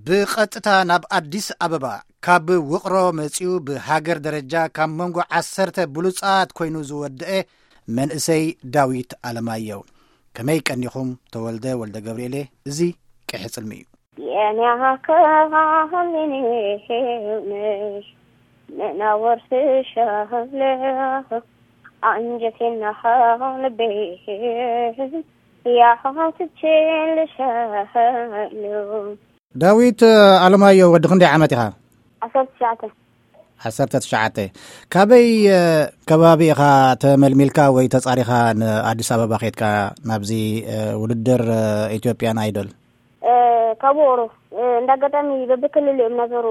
ብቐጥታ ናብ ኣዲስ ኣበባ ካብ ውቕሮ መጺኡ ብሃገር ደረጃ ካብ መንጎ ዓሰርተ ብሉጻት ኮይኑ ዝወደአ መንእሰይ ዳዊት ኣለማየሁ። ከመይ ቀኒኹም? ተወልደ ወልደ ገብርኤል እየ። እዚ ቅሒ ጽልሚ እዩ። የንያኸ ኻኸሊኒ ሄውነሽ ነናወርስሻለኽ ኣንጀቴና ልቤ ያኸትቼልሻሉ። ዳዊት ኣለማዮ፣ ወዲ ክንደይ ዓመት ኢኻ? ዓሰርተ ትሽዓተ። ዓሰርተ ትሽዓተ። ካበይ ከባቢ ኢኻ ተመልሚልካ ወይ ተጻሪኻ ንኣዲስ ኣበባ ኸድካ ናብዚ ውድድር ኢትዮጵያን ኣይዶል? ካብ ውቕሮ። እንዳ ኣጋጣሚ በብክልል እዮም እናዞሩ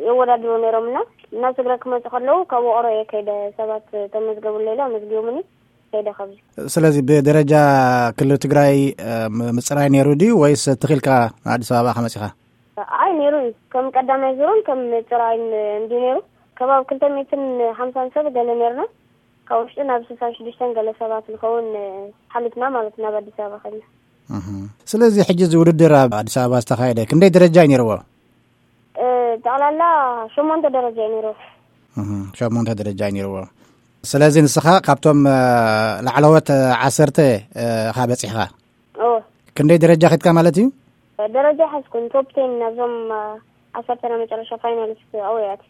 የወዳድሩ ነይሮም እና እናብ ትግራይ ክመፁ ከለዉ ካብ ውቕሮ እየ ከይደ። ሰባት ተመዝገቡለይ ኢሎም ኣመዝጊቦምኒ ከይደ ካብዚ። ስለዚ ብደረጃ ክልል ትግራይ ምፅራይ ነይሩ ድዩ ወይስ ትኺልካ ንኣዲስ ኣበባ ከመፂኻ? ኣይ፣ ነይሩ እዩ። ከም ቀዳማይ ዙርን ከም ምፅራይን እንዲ ነይሩ። ከባቢ ክልተ ሚእትን ሓምሳን ሰብ ገለ ነይርና። ካብ ውሽጢ ናብ ስሳን ሽዱሽተን ገለ ሰባት ንኸውን ሓሊፍና ማለት ናብ ኣዲስ ኣበባ ከድና። ስለዚ ሕጂ እዚ ውድድር ኣብ ኣዲስ ኣበባ ዝተኻየደ ክንደይ ደረጃ እዩ ነይርዎ? ጠቕላላ ሸሞንተ ደረጃ እዩ ነይርዎ። ሸሞንተ ደረጃ እዩ ነይርዎ። ስለዚ ንስኻ ካብቶም ላዕለዎት ዓሰርተ ኢኻ በፂሕኻ? ክንደይ ደረጃ ኸድካ ማለት እዩ? ደረጃ ሓዝኩን ቶፕ ቴን ናብዞም ዓሰርተ ናይ መጨረሻ ፋይናሊስት ኣውያት።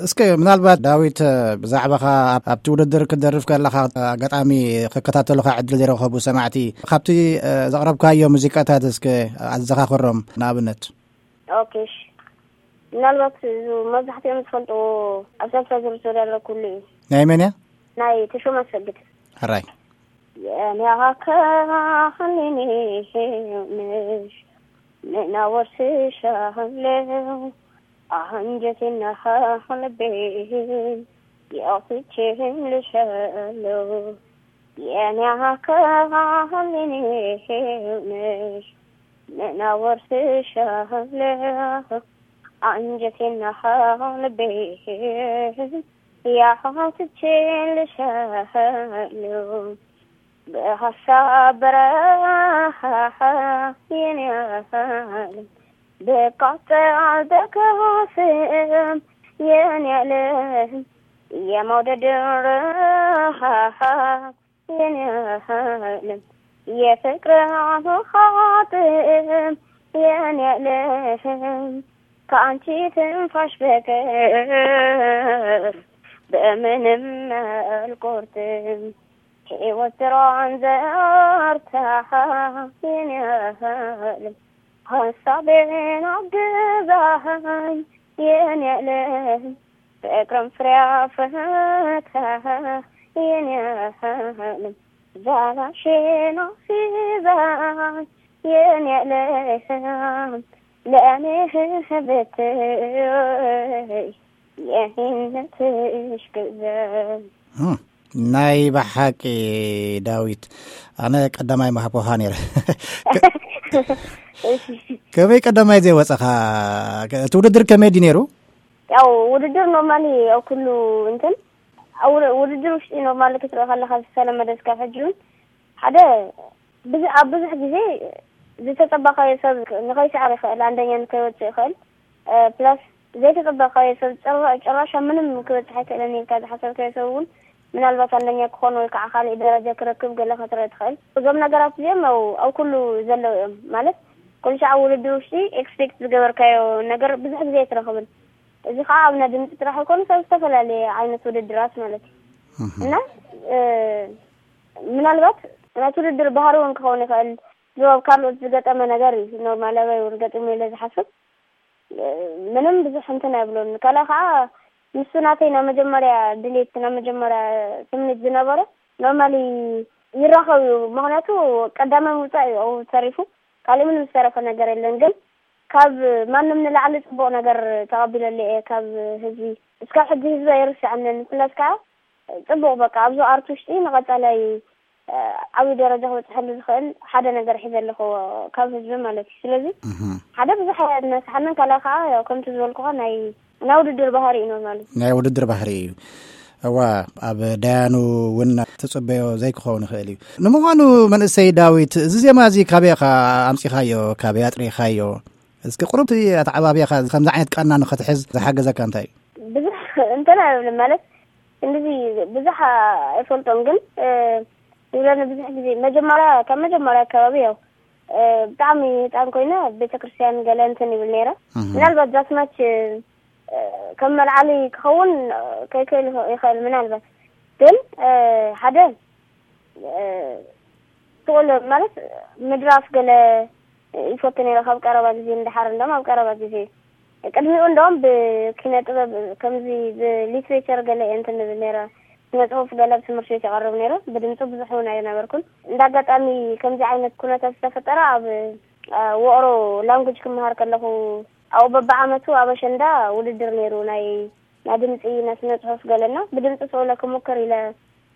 እስከ ምናልባት ዳዊት፣ ብዛዕባኻ ኣብቲ ውድድር ክትደርፍ ከለኻ ኣጋጣሚ ክከታተሉኻ ዕድል ዘይረኸቡ ሰማዕቲ፣ ካብቲ ዘቕረብካዮ ሙዚቃታት እስከ ኣዘኻኽሮም ንኣብነት። ኦኬ፣ እሺ። ምናልባት እዚ መብዛሕትኦም ዝፈልጥዎ ኣብ ሳልሳ ዙር ዝተወዳደረኩሉ እዩ። ናይ መን እያ? ናይ ተሾመ ኣሰግድ። ሕራይ። የንያኸ ኸሊኒ ሄውነሽ ነናወርስሻለዉ ኣንጀቴና ልቤ ያኽትቼልሻለዉ። የንያኸ ኸሊኒ ሄውነሽ ነናወርስሻለዉ ኣንጀቴና ልቤ ያኽትቼልሻለዉ። ብሃሳብ በረኻ የንያለም ብቃጠል በከስም የንያለም የመውደድ ረሃ የንያለም የፍቅር ኻጥም የንያለም ከአንቺ ትንፋሽ በቀር በምንም አልቆርጥም። ሕይወት ስራዋን ዘርታ የኔ ዓለም ሐሳቤን አግዛኝ የኔ ዓለም ፍቅርን ፍሬ አፍርታ የኔ ዓለም ዛላሽን አስይዛኝ የኔ ዓለም ለእኔ ብትይ የኔነትሽ ግዘ። እም፣ ናይ ብሓቂ ዳዊት፣ ኣነ ቀዳማይ ምሃብኩኻ ነይረ። ከመይ ቀዳማይ ዘይወፀኻ? እቲ ውድድር ከመይ ድዩ ነይሩ? ያው ውድድር ኖርማሊ ኣብ ኩሉ እንትን ኣብ ውድ-፣ ውድድር ውሽጢ ኖርማሊ ክትርኢ ከለኻ ዝተለመደ እስካብ ሕጂ እውን ሓደ ብዙ-፣ ኣብ ብዙሕ ግዜ ዝተጸበኻዮ ሰብ ንኸይስዕር ይኽእል፣ ኣንደኛ ንከይወጽእ ይኽእል። እ፣ ፕላስ ዘይተጸበኻዮ ሰብ ጭራ-፣ ጭራሽ ኣብ ምንም ክበጽሕ ኣይክእልን ኢልካ ዝሓሰብካዮ ሰብ እውን ምናልባት ኣንደኛ ክኾን ወይ ከዓ ካልእ ደረጃ ክረክብ ገለ ክትርኢ ትኽእል። እዞም ነገራት እዚኦም ኣብ፣ ኣብ ኩሉ ዘለዉ እዮም። ማለት ኩሉ ሻዕ ኣብ ውድድር ውሽጢ ኤክስፔክት ዝገበርካዮ ነገር ብዙሕ ግዜ ኣይትረኽብን። እዚ ከዓ ኣብ ናይ ድምፂ ጥራሕ ኣይኮነስ ኣብ ዝተፈላለየ ዓይነት ውድድራት ማለት እዩ። እህ። እና፣ እ፣ ምናልባት ናይቲ ውድድር ባህሪ እውን ክኸውን ይኽእል። እዚ ኣብ ካልኦት ዝገጠመ ነገር እዩ። ኖርማል ኣባይ እውን ገጢሙ ኢለ ዝሓስብ፣ እ፣ ምንም ብዙሕ እንትን ኣይብሎን። ካልእ ከዓ ንሱ ናተይ ናይ መጀመርያ ድሌት፣ ናይ መጀመርያ ትምኒት ዝነበረ ኖርማሊ ይራኸብ እዩ። ምኽንያቱ ቀዳማይ ምውፃእ እዩ ኣብኡ ተሪፉ። ካልእ ምንም ዝተረፈ ነገር የለን። ግን ካብ ማንም ንላዕሊ ጽቡቕ ነገር ተቐቢለሉ እየ ካብ ህዝቢ። እስካብ ሕጂ ህዝቢ ኣይርስዓንን። ፕላስ ከዓ ጽቡቕ በቃ ኣብዚ ኣርት ውሽጢ ንቐጻላይ፣ እ፣ ዓብዪ ደረጃ ክበጽሐሉ ዝኽእል ሓደ ነገር ሒዘ ኣለኹ ካብ ህዝቢ ማለት እዩ። ስለዚ እህ። ሓደ ብዙሕ ኣየነስሓንን ካልእ ከዓ ያው ከምቲ ዝበልኩኻ ናይ ናይ ውድድር ባህሪ እዩ ኖርማሊ። ናይ ውድድር ባህሪ እዩ። እዋ፣ ኣብ ደያኑ እውን ትጽበዮ ዘይክኸውን ይኽእል እዩ። ንምዃኑ መንእሰይ ዳዊት፣ እዚ ዜማ እዚ ካበይ ኢኻ ኣምጺኻዮ? ካበይ ኣጥሪኻዮ? እስኪ ቁሩብ እቲ ኣተዓባብያኻ ከምዚ ዓይነት ቃና ንኸትሕዝ ዝሓገዘካ እንታይ እዩ? ብዙሕ እንተና ይብልን ማለት እንደዚ ብዙሕ ኣይፈልጦን፣ ግን ይብለኒ ብዙሕ ግዜ መጀመርያ፣ ካብ መጀመርያ ኣከባቢ ያው ብጣዕሚ ህፃን ኮይነ ቤተክርስትያን ገለ እንትን ይብል ነይረ። ምናልባት ዛስማች ከም መልዓሊ ክኸውን ከይክእል ይኽእል ምናልባት፣ ግን ሓደ ስቕሎ ማለት ምድራፍ ገለ ይፈቱ ነይረ፣ ካብ ቀረባ ግዜ ንደሓር እንደም ኣብ ቀረባ ግዜ። ቅድሚኡ እንደም ብኪነ ጥበብ ከምዚ ብሊትሬቸር ገለ እየ እንትን ንብል ነይረ፣ ስነ ጽሑፍ ገለ ኣብ ትምህርቲ ቤት ይቐርብ ነይረ። ብድምፂ ብዙሕ እውን ኣይነበርኩን። እንዳ ኣጋጣሚ ከምዚ ዓይነት ኩነታት ዝተፈጠረ ኣብ ውቕሮ ላንጉጅ ክመሃር ከለኹ ኣብኡ በብዓመቱ ኣብ ኣሸንዳ ውድድር ነይሩ፣ ናይ ናይ ድምፂ ናይ ስነ ጽሑፍ ገለና ብድምፂ ስቕሎ ክሙክር ኢለ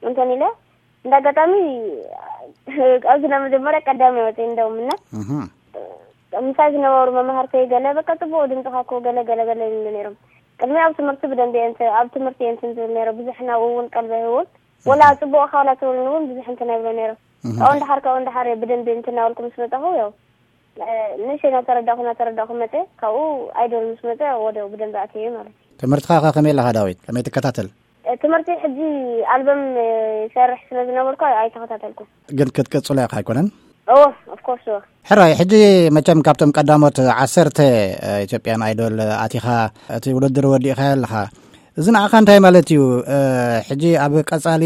እንትን ኢለ እንደ ኣጋጣሚ ኣብዚ ናይ መጀመርያ ቀዳማይ ወፅእ እንደውም እና ምሳይ ዝነበሩ መማህርተይ ገለ በቃ ጽቡቕ ድምፅኻ እኮ ገለ ገለ ገለ ይብሉ ነይሮም። ቅድሚ ኣብ ትምህርቲ ብደንቢ እየ እንትን ኣብ ትምህርቲ እየ እንትን ዝብል ነይረ፣ ብዙሕ ናብኡ እውን ቀልቢ ኣይህውን። ወላ ጽቡቕ ካላ ትብሉኒ እውን ብዙሕ እንትን ኣይብሎ ነይረ። ካብኡ እንድሓር ካብኡ እንድሓር እየ ብደንቢ እንትን እናበልኩ ምስ መጻኹ ያው ንእሽተይ እናተረዳእኩ እናተረዳእኩ መፀ። ካብኡ ኣይዶል ምስ መፀ ወዲያው ብደንቢ ኣትየ ማለት እዩ። ትምህርትኻ ከ ከመይ ኣለኻ ዳዊት? ከመይ ትከታተል? ትምህርቲ ሕጂ ኣልበም ይሰርሕ ስለ ዝነበርኩ ኣይተኸታተልኩ። ግን ክትቅጽሎ ኢኻ ኣይኮነን? እዎ፣ ኦፍኮርስ እዎ። ሕራይ፣ ሕጂ መቸም ካብቶም ቀዳሞት ዓሰርተ ኢትዮጵያን ኣይዶል ኣቲኻ እቲ ውድድር ወዲእኻ ኣለኻ። እዚ ንዓኻ እንታይ ማለት እዩ? ሕጂ ኣብ ቀጻሊ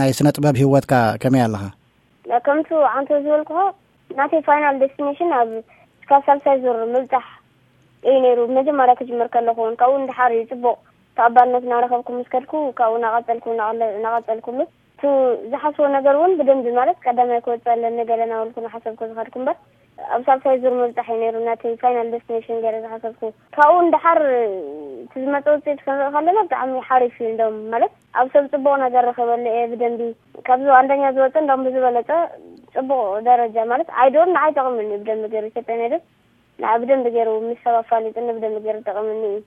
ናይ ስነ ጥበብ ህይወትካ ከመይ ኣለኻ? ከምቱ ዓንቶ ዝበልኩኻ ናተይ ፋይናል ዴስቲኔሽን ኣብ እስካብ ሳልሳይ ዙር ምብጻሕ እዩ ነይሩ። መጀመርያ ክጅምር ከለኹ እውን ካብኡ ንድሓር እዩ ጽቡቕ ተቐባልነት እናረኸብኩ ምስ ከድኩ ካብኡ እናቐጸልኩ እናቐለ- እናቐጸልኩሉ። እቲ ዝሓስቦ ነገር እውን ብደንቢ ማለት ቀዳማይ ክወጽእ ኣለኒ ገለ እናበልኩ እናሓሰብኩ ዝኸድኩ እምበር ኣብ ሳልሳይ ዙር ምብጻሕ እዩ ነይሩ ናተይ ፋይናል ዴስቲኔሽን ገይረ ዝሓሰብኩ። ካብኡ ንድሓር እቲ ዝመጸ ውጽኢት ክንርኢ ከለና ብጣዕሚ ሓሪፍ እዩ። እንደውም ማለት ኣብ ሰብ ጽቡቕ ነገር ረኺበሉ እየ ብደንቢ ካብዚ ኣንደኛ ዝወጸ እንደውም ብዝበለጸ ጽቡቕ ደረጃ ማለት ኣይዶል ንዓይ ጠቕምኒ እዩ ብደንቢ ገይሩ ኢትዮጵያ ነይደል ንዓ ብደንቢ ገይሩ ምስ ሰብ ኣፋሊጥኒ ብደንቢ ገይሩ ጠቕምኒ እዩ።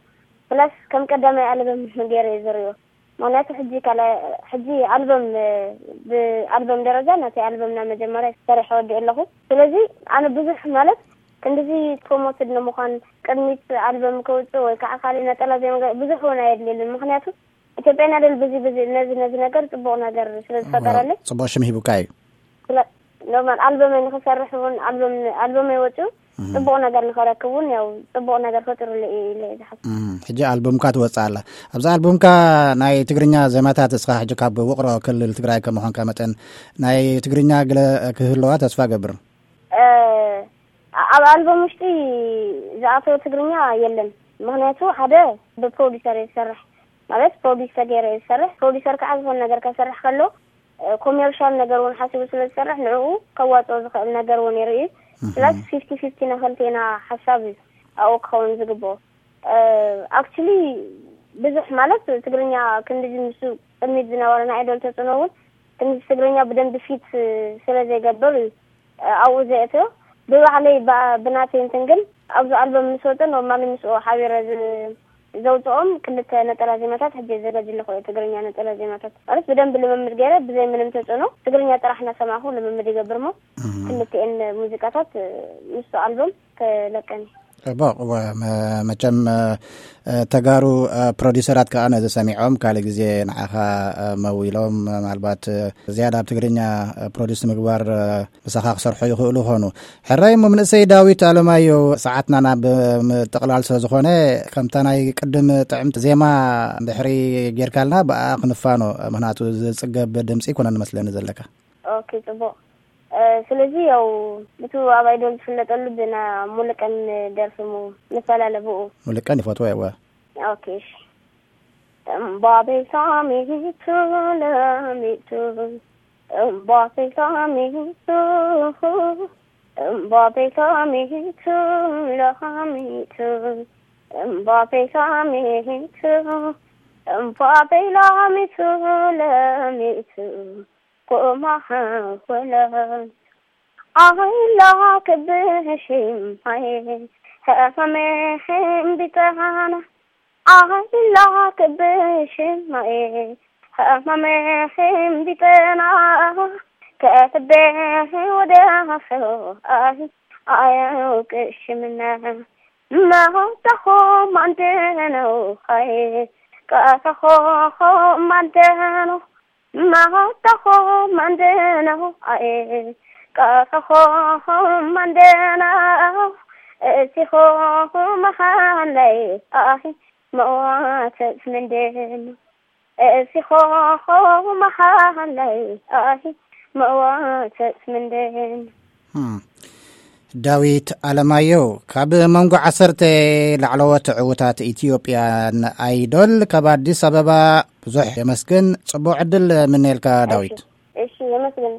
ፕላስ ከም ቀዳማይ ኣልበም ገይረ እየ ዝሪኦ። ምክንያቱ ሕጂ ካልኣይ ሕጂ ኣልበም ብኣልበም ደረጃ ናተይ ኣልበም ናብ መጀመርያ ሰሪሐ ወዲእ ኣለኹ። ስለዚ ኣነ ብዙሕ ማለት ክንድዚ ፕሮሞትድ ንምዃን ቅድሚት ኣልበም ከውፅእ ወይ ከዓ ካልእ ነጠላ ዜማ ገ- ብዙሕ እውን ኣየድልየልን። ምክንያቱ ኢትዮጵያ ናደል ብዙ ብዙ ነዚ ነዚ ነገር ፅቡቕ ነገር ስለ ዝፈጠረለይ ፅቡቕ ሽም ሂቡካ እዩ። ስለ ኖርማል ኣልበመይ ንክሰርሕ እውን ኣልበም ኣልበመይ ወፅኡ ፅቡቕ ነገር ንኸረክብ እውን ያው ፅቡቕ ነገር ፈጢሩለይ እዩ ኢለ እየ ዝሓስብ። እም፣ ሕጂ ኣልቡምካ ትወፅእ ኣላ። ኣብዚ ኣልቡምካ ናይ ትግርኛ ዜማታት እስኻ ሕጂ ካብ ውቕሮ ክልል ትግራይ ከም ምዃንካ መጠን ናይ ትግርኛ ገለ ክህልዋ ተስፋ ገብር። ኣብ ኣልበም ውሽጢ ዝኣተወ ትግርኛ የለን። ምክንያቱ ሓደ ብፕሮዲሰር እየ ዝሰርሕ፣ ማለት ፕሮዲስ ተገይረ እየ ዝሰርሕ። ፕሮዲሰር ከዓ ዝኾነ ነገር ከሰርሕ ከሎ ኮሜርሻል ነገር እውን ሓሲቡ ስለ ዝሰርሕ ንዕኡ ከዋፅኦ ዝኽእል ነገር እውን ይርኢ። ስለዚ ፊፍቲ ፊፍቲ ንክልቴና ሓሳብ እዩ ኣብኡ ክኸውን ዝግብኦ። ኣክቹሊ ብዙሕ ማለት ትግርኛ ክንድዚ ምስ ቅድሚት ዝነበረ ናይ ኣይዶል ተፅዕኖ እውን ክንድዚ ትግርኛ ብደንቢ ፊት ስለ ዘይገብር እዩ ኣብኡ ዘእትዮ። ብባዕለይ ብናተይ እንትን ግን ኣብዚ ኣልበም ምስ ወፀ ኖርማሊ ምስኡ ሓቢረ ዘውፅኦም ክልተ ነጠላ ዜማታት ሕጂ ዘጋጅ ኣለኹ። ትግርኛ ነጠላ ዜማታት ማለት ብደንቢ ልምምድ ገይረ ብዘይ ምንም ተፅዕኖ ትግርኛ ጥራሕ እናሰማዕኩ ልምምድ ይገብር ሞ ክልቲኤን ሙዚቃታት ምስቱ ኣልበም ተለቀኒ። ጽቡቕ። መቸም ተጋሩ ፕሮዲሰራት ከዓ ነዚ ሰሚዖም ካልእ ግዜ ንዓኻ መዊሎም ምናልባት ዝያዳ ኣብ ትግርኛ ፕሮዲስ ምግባር ምሳኻ ክሰርሑ ይኽእሉ ኾኑ። ሕራይ እሞ፣ መንእሰይ ዳዊት ኣለማዮ፣ ሰዓትና ናብ ምጥቕላል ስለ ዝኾነ፣ ከምታ ናይ ቅድም ጥዕምቲ ዜማ ድሕሪ ጌርካልና፣ ብኣ ክንፋኖ፣ ምኽንያቱ ዝጽገብ ድምጺ ኣይኮነን መስለኒ ዘለካ። ኦኬ፣ ጽቡቕ። ስለዚ ያው ብቱ ኣብ ኣይዶል ዝፍለጠሉ ብና ሙሉቀን ደርፊ ሙ ንፈላለ ብኡ። ሙሉቀን ይፈትዎ እየ። ኦኬ፣ እሺ። እምባቤ ሳሚቱ ለሚቱ፣ እምባቤ ሳሚቱ፣ እምባቤ ሳሚቱ ለሚቱ፣ እምባቤ ሳሚቱ፣ እምባቤ ላሚቱ ለሚቱ፣ ኮማ ወለል። ኣይላክ ብሽማይ ሕመመ ሕምቢጠና፣ ኣይላክ ብሽማይ ሕመመ ሕምቢጠና፣ ከሕቤ ወደ ሰው ኣይ ኣየውቅሽምና። መሆተኹም ኣንደነው ኣየ ቃታኾኹም ኣንደነው መሆተኹም ኣንደነው ኣየ ቃታኾኹም ኣንደነው እቲኹም ሃለይ ኣሂ መዋተት ምንደነው እቲኹም ሃለይ ኣሂ መዋተት ምንደነው። ዳዊት ኣለማየሁ ካብ መንጎ ዓሰርተ ላዕለዎት ዕዉታት ኢትዮጵያን ኣይዶል ካብ ኣዲስ ኣበባ ብዙሕ የመስግን። ጽቡቕ ዕድል ምነየልካ ዳዊት። እሺ የመስግን።